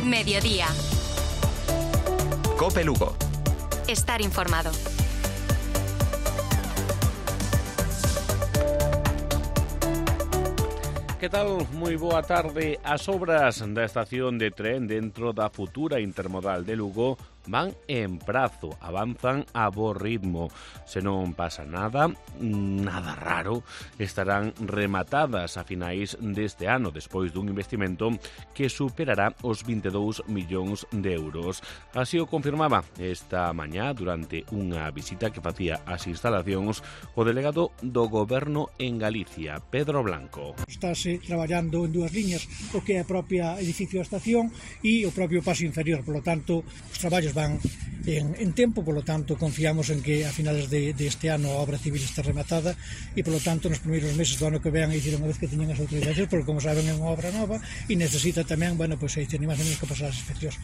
Mediodía. COPE Lugo. Estar informado. Que tal? Moi boa tarde. As obras da estación de tren dentro da futura intermodal de Lugo van en prazo, avanzan a bo ritmo. Se non pasa nada raro, estarán rematadas a finais deste ano, despois dun investimento que superará os 22 millóns de euros. Así o confirmaba esta mañá durante unha visita que facía ás instalacións o delegado do Goberno en Galicia, Pedro Blanco. Estáse traballando en dúas liñas, o que é a propia edificio da estación e o propio paso inferior, polo tanto, os traballos van en tempo, polo tanto confiamos en que a finales deste ano a obra civil está rematada e polo tanto nos primeiros meses do ano que vean, dicir, unha vez que teñen as autorizacións, porque como saben é unha obra nova e necesita tamén, pois aí teñen máis ou menos que pasar as inspeccións.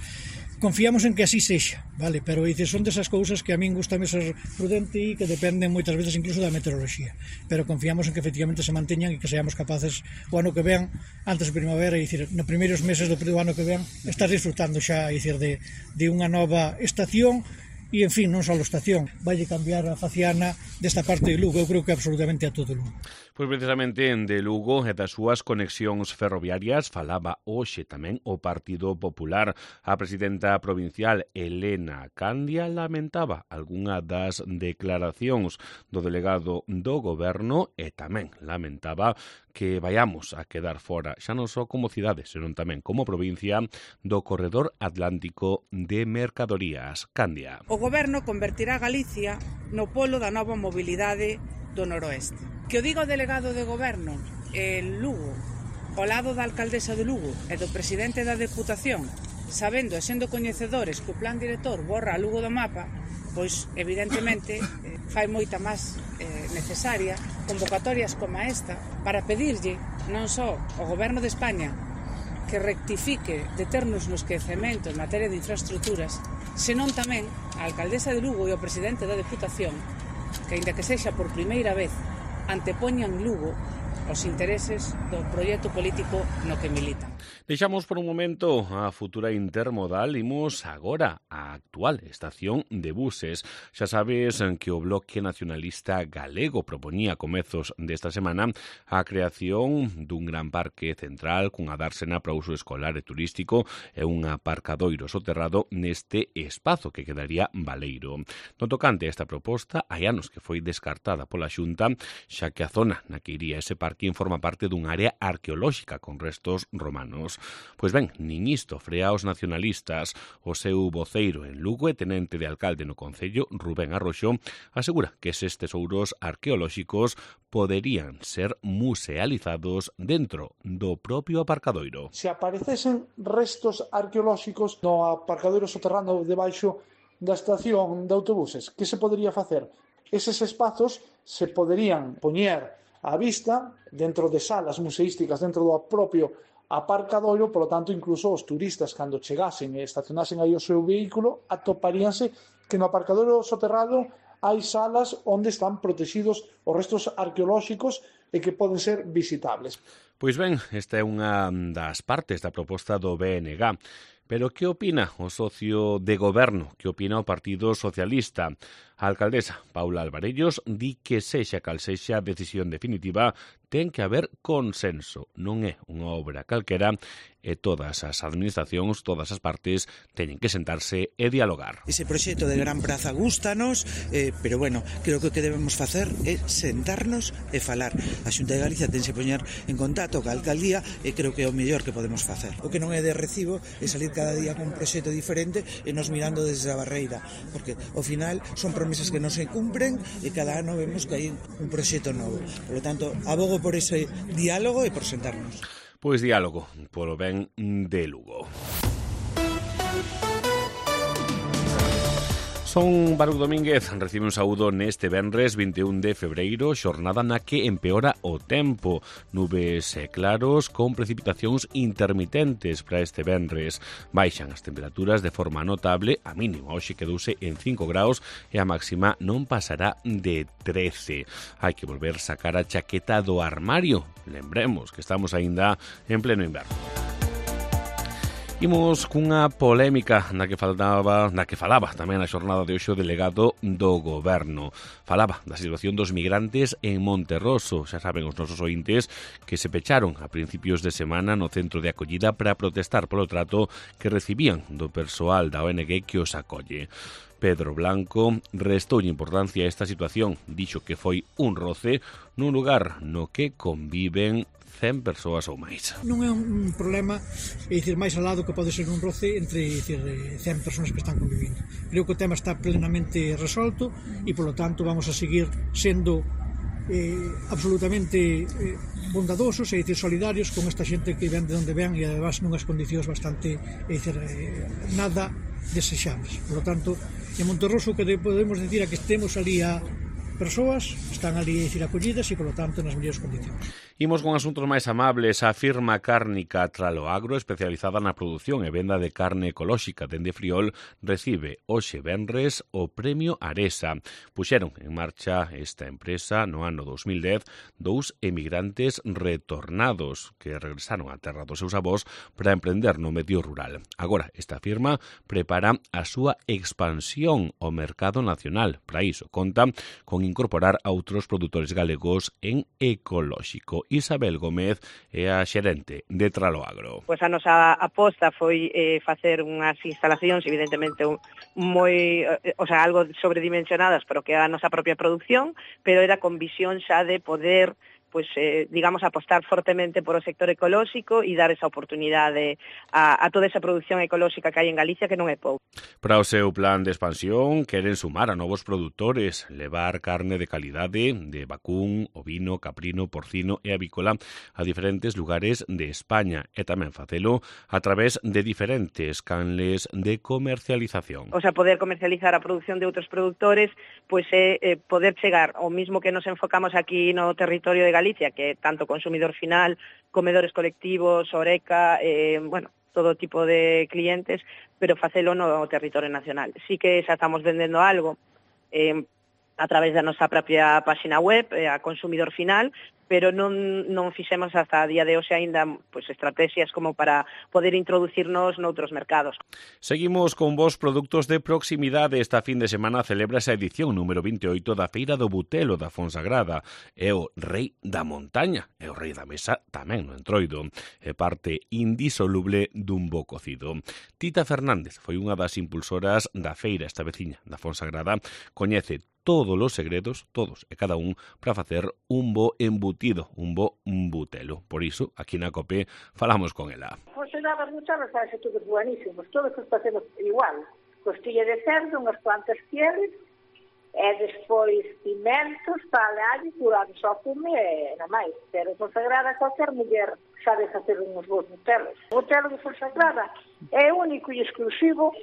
Confiamos en que así sexa, vale, pero dicir, son desas cousas que a min gustame ser prudente e que dependen moitas veces incluso da meteoroloxía, pero confiamos en que efectivamente se manteñan e que seamos capaces o ano que vean, antes de primavera, e dicir, nos primeiros meses do ano que vean, estar disfrutando xa, dicir, de unha nova estación. E, en fin, non só a estación, vai cambiar a faciana desta parte de Lugo, eu creo que absolutamente a todo Lugo. Pois precisamente de Lugo e das súas conexións ferroviarias falaba hoxe tamén o Partido Popular. A presidenta provincial Elena Candia lamentaba algunha das declaracións do delegado do Goberno e tamén lamentaba que vayamos a quedar fora, xa non só como cidade, senón tamén como provincia, do corredor atlántico de mercadorías. Candia. O Goberno convertirá Galicia no polo da nova mobilidade do noroeste. Que o diga o delegado de Goberno en Lugo, ao lado da alcaldesa de Lugo e do presidente da Deputación, sabendo e sendo coñecedores que o plan director borra a Lugo do mapa, pois evidentemente fai moita máis necesaria convocatorias como esta para pedirlle non só ao Goberno de España que rectifique de ternos no esquecemento en materia de infraestructuras, senón tamén a alcaldesa de Lugo e o presidente da Deputación que, aínda que sexa por primeira vez, antepoñan Lugo os intereses do proxecto político no que militan. Deixamos por un momento a futura intermodal, imos agora á actual estación de buses. Xa sabes que o Bloque Nacionalista Galego proponía a comezos desta semana a creación dun gran parque central cunha dársena para uso escolar e turístico e un aparcadoiro soterrado neste espazo que quedaría baleiro. No tocante a esta proposta, hai anos que foi descartada pola Xunta, xa que a zona na que iría ese parque forma parte dun área arqueolóxica con restos romanos. Pois ben, nin isto frea os nacionalistas. O seu voceiro en Lugo e tenente de alcalde no Concello, Rubén Arroxo, asegura que eses tesouros arqueolóxicos poderían ser musealizados dentro do propio aparcadoiro. Se aparecesen restos arqueolóxicos no aparcadoiro soterrado debaixo da estación de autobuses, que se podería facer? Eses espazos se poderían poñer á vista dentro de salas museísticas dentro do propio aparcadoiro, polo tanto, incluso os turistas, cando chegasen e estacionasen aí o seu vehículo, atoparíanse que no aparcadoiro soterrado hai salas onde están protegidos os restos arqueolóxicos e que poden ser visitables. Pois ben, esta é unha das partes da proposta do BNG. Pero que opina o socio de goberno? Que opina o Partido Socialista? A alcaldesa Paula Alvarellos di que sexa cal sexa a decisión definitiva ten que haber consenso. Non é unha obra calquera e todas as administracións, todas as partes teñen que sentarse e dialogar. Ese proxecto de Gran Praza gústanos, pero bueno, creo que o que debemos facer é sentarnos e falar. A Xunta de Galicia tense poñer en contacto ca alcaldía e creo que é o mellor que podemos facer. O que non é de recibo é salir cada día con un proxecto diferente e nos mirando desde a barreira, porque ao final son promesas que non se cumpren e cada ano vemos que hai un proxecto novo. Por lo tanto, abogo por ese diálogo e por sentarnos. Pois diálogo, polo ben de Lugo. Son Baruch Domínguez, recibe un saúdo neste venres 21 de febreiro, xornada na que empeora o tempo. Nubes claros con precipitacións intermitentes para este venres. Baixan as temperaturas de forma notable, a mínima hoxe quedouse en 5 graus e a máxima non pasará de 13. Hai que volver sacar a chaqueta do armario. Lembremos que estamos aínda en pleno inverno. Imos cunha polémica na que falaba tamén na xornada de hoxe o delegado do Goberno. Falaba da situación dos migrantes en Monterroso. Xa saben os nosos ointes que se pecharon a principios de semana no centro de acollida para protestar polo trato que recibían do persoal da ONG que os acolle. Pedro Blanco restou importancia a esta situación. Dixo que foi un roce nun lugar no que conviven 100 persoas ou máis. Non é un problema, máis ao lado que pode ser un roce entre 100 persoas que están convivindo. Creo que o tema está plenamente resolto e, polo tanto, vamos a seguir sendo absolutamente bondadosos e solidarios con esta xente que ven de onde ven e, además, nunhas condicións bastante nada desexables. Por lo tanto, en Monterroso que podemos decir a que estemos ali a persoas, están ali acollidas e, por lo tanto, nas mellores condicións. Imos con asuntos máis amables. A firma cárnica Traloagro, especializada na produción e venda de carne ecolóxica dende Friol, recibe hoxe venres o Premio Aresa. Puxeron en marcha esta empresa no ano 2010 dous emigrantes retornados que regresaron á terra dos seus avós para emprender no medio rural. Agora, esta firma prepara a súa expansión ao mercado nacional. Para iso, conta con incorporar a outros produtores galegos en ecolóxico. Isabel Gómez é a xerente de Traloagro. Pois a nosa aposta foi facer unhas instalacións evidentemente algo sobredimensionadas pero que a nosa propia produción, pero era con visión xa de poder apostar fortemente por o sector ecolóxico e dar esa oportunidade a toda esa produción ecolóxica que hai en Galicia, que non é pouco. Para o seu plan de expansión, queren sumar a novos produtores, levar carne de calidade de vacún, ovino, caprino, porcino e avícola a diferentes lugares de España e tamén facelo a través de diferentes canles de comercialización. O sea, poder comercializar a produción de outros produtores, é poder chegar ao mismo que nos enfocamos aquí no territorio de Galicia, que é tanto consumidor final, comedores colectivos, Oreca, todo tipo de clientes, pero facelo no territorio nacional. Sí que xa estamos vendendo algo a través da nosa propia página web, a consumidor final, pero non fixemos hasta a día de hoxe aínda estrategias como para poder introducirnos noutros mercados. Seguimos con vos produtos de proximidade. Esta fin de semana celebra a edición número 28 da Feira do Butelo da Fonsagrada. É o rei da montaña, é o rei da mesa tamén no Entroido. É parte indisoluble dun bo cocido. Tita Fernández foi unha das impulsoras da feira, esta veciña da Fonsagrada. Coñece todos os segredos, todos e cada un, para facer un bo embutido, un bo butelo. Por iso, aquí na COPE, falamos con ela. Pois se daba muchas recetas todos buenísimos, todos os facemos igual. Costilla de cerdo, unhas cuantas pieles, e despois pimentos, alho, curado só fume e nada máis. Pero Fonsagrada, qualquer muller sabe facer uns bons butelos. O butelo de Fonsagrada é único e exclusivo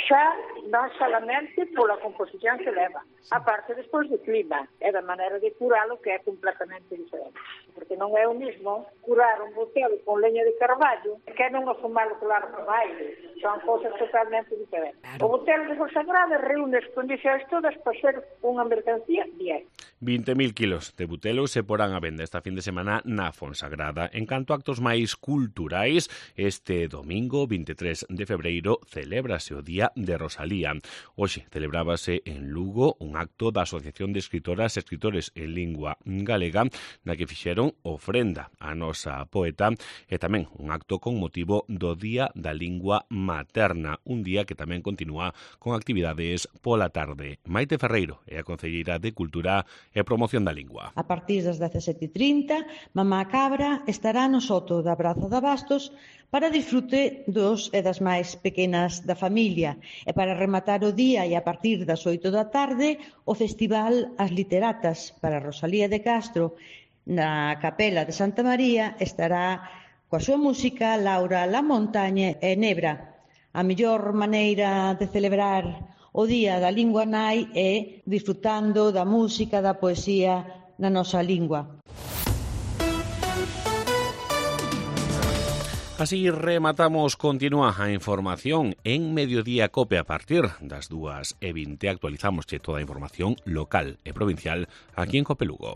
xa non solamente pola composición que leva, a parte despois do clima e da maneira de curalo, que é completamente diferente, porque non é o mismo curar un butelo con leña de carballo que non afumalo claro no aire, son cousas totalmente diferentes. O butelo de Fonsagrada reúne as condicións todas para ser unha mercancía bien. 20.000 kilos de butelo se porán a venda esta fin de semana na Fonsagrada. En canto a actos máis culturais, este domingo 23 de febreiro celébrase o Día de Rosalía. Hoxe celebrábase en Lugo un acto da Asociación de Escritoras e Escritores en Lingua Galega na que fixeron ofrenda á nosa poeta e tamén un acto con motivo do Día da Lingua Materna, un día que tamén continúa con actividades pola tarde. Maite Ferreiro é a concelleira de Cultura e Promoción da Lingua. A partir das 17:30, Mamá Cabra estará no soto da Praza de Abastos para disfrute dos e das máis pequenas da familia. E para rematar o día e a partir das 8 da tarde, o Festival As Literatas para Rosalía de Castro na Capela de Santa María estará coa súa música Laura La Montaña e Nebra. A mellor maneira de celebrar o Día da Lingua Nai é disfrutando da música, da poesía na nosa lingua. Así rematamos, continúa a información en Mediodía Cope a partir das 2:20. Actualizamos toda a información local e provincial aquí en Cope Lugo.